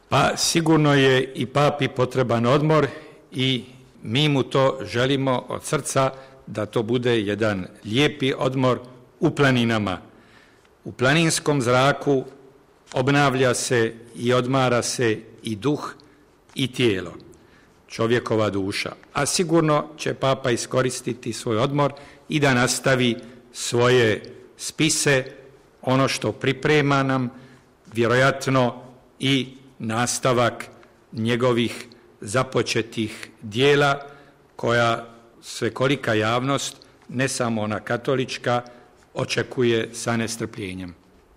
Pa sigurno je i papi potreban odmor i mi mu to želimo od srca, da to bude jedan lijepi odmor u planinama. U planinskom zraku obnavlja se i odmara se i duh i tijelo, čovjekova duša. A sigurno će papa iskoristiti svoj odmor i da nastavi svoje spise, ono što priprema nam, vjerojatno i nastavak njegovih započetih dijela koja svekolika javnost, ne samo ona katolička, očekuje sa nestrpljenjem.